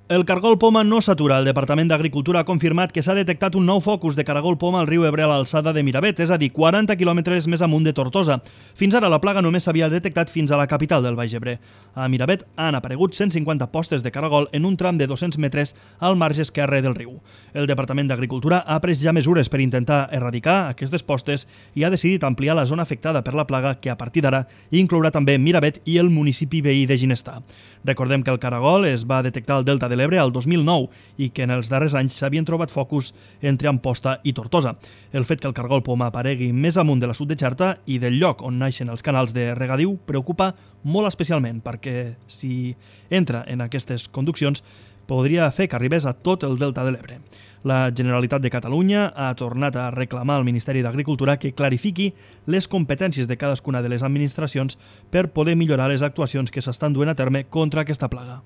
El cargol poma no s'atura. El Departament d'Agricultura ha confirmat que s'ha detectat un nou focus de caragol poma al riu Ebre a l'alçada de Miravet, és a dir, 40 quilòmetres més amunt de Tortosa. Fins ara la plaga només s'havia detectat fins a la capital del Baix Ebre. A Miravet han aparegut 150 postes de caragol en un tram de 200 metres al marge esquerre del riu. El Departament d'Agricultura ha pres ja mesures per intentar erradicar aquestes postes i ha decidit ampliar la zona afectada per la plaga, que a partir d'ara inclourà també Miravet i el municipi veí de Ginestar. Recordem que el caragol es va detectar al delta de l'Ebre al 2009 i que en els darrers anys s'havien trobat focus entre Amposta i Tortosa. El fet que el caragol poma aparegui més amunt de la sud de Xerta i del lloc on naixen els canals de regadiu preocupa molt especialment, perquè si entra en aquestes conduccions podria fer que arribés a tot el delta de l'Ebre. La Generalitat de Catalunya ha tornat a reclamar al Ministeri d'Agricultura que clarifiqui les competències de cadascuna de les administracions per poder millorar les actuacions que s'estan duent a terme contra aquesta plaga.